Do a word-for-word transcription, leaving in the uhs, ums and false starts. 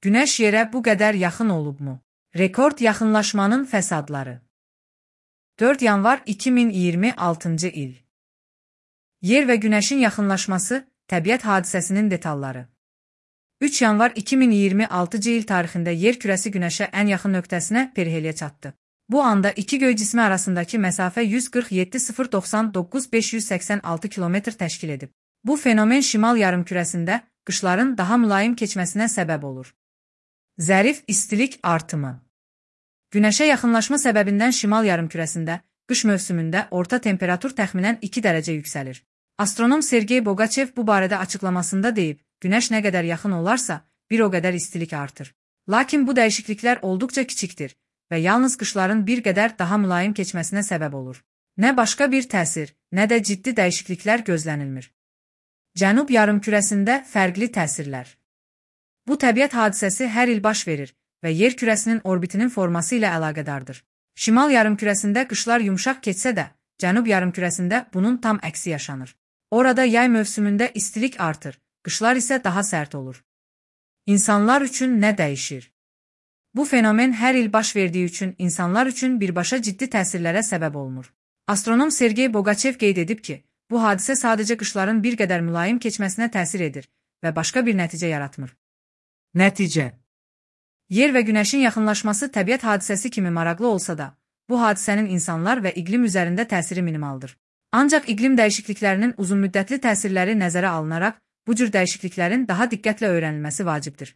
Günəş yerə bu qədər yaxın olubmu? Rekord yaxınlaşmanın fəsadları. dörd yanvar iki min iyirmi altıncı il. Yer və Günəşin yaxınlaşması, təbiət hadisəsinin detalları. üç yanvar iki min iyirmi altıncı il tarixində yer kürəsi Günəşə ən yaxın nöqtəsinə periheliyə çatdı. Bu anda iki göy cismi arasındakı məsafə yüz qırx yeddi min doxsan doqquz min beş yüz səksən altı kilometr təşkil edib. Bu fenomen şimal yarımkürəsində qışların daha mülayim keçməsinə səbəb olur. Zərif istilik artımı. Günəşə yaxınlaşma səbəbindən şimal yarımkürəsində qış mövsümündə orta temperatur təxminən iki dərəcə yüksəlir. Astronom Sergey Bogachev bu barədə açıqlamasında deyib, Günəş nə qədər yaxın olarsa, bir o qədər istilik artır. Lakin bu dəyişikliklər olduqca kiçikdir və yalnız qışların bir qədər daha mülayim keçməsinə səbəb olur. Nə başqa bir təsir, nə də ciddi dəyişikliklər gözlənilmir. Cənub yarımkürəsində fərqli təsirlər. Bu təbiət hadisəsi hər il baş verir və yer kürəsinin orbitinin forması ilə əlaqədardır. Şimal yarımkürəsində qışlar yumşaq keçsə də, cənub yarımkürəsində bunun tam əksi yaşanır. Orada yay mövsümündə istilik artır, qışlar isə daha sərt olur. İnsanlar üçün nə dəyişir? Bu fenomen hər il baş verdiyi üçün insanlar üçün birbaşa ciddi təsirlərə səbəb olunur. Astronom Sergey Bogachev qeyd edib ki, bu hadisə sadəcə qışların bir qədər mülayim keçməsinə təsir edir və başqa bir nəticə yaratmır. Nəticə. Yer və Günəşin yaxınlaşması təbiət hadisəsi kimi maraqlı olsa da, bu hadisənin insanlar və iqlim üzərində təsiri minimaldır. Ancaq iqlim dəyişikliklərinin uzunmüddətli təsirləri nəzərə alınaraq, bu cür dəyişikliklərin daha diqqətlə öyrənilməsi vacibdir.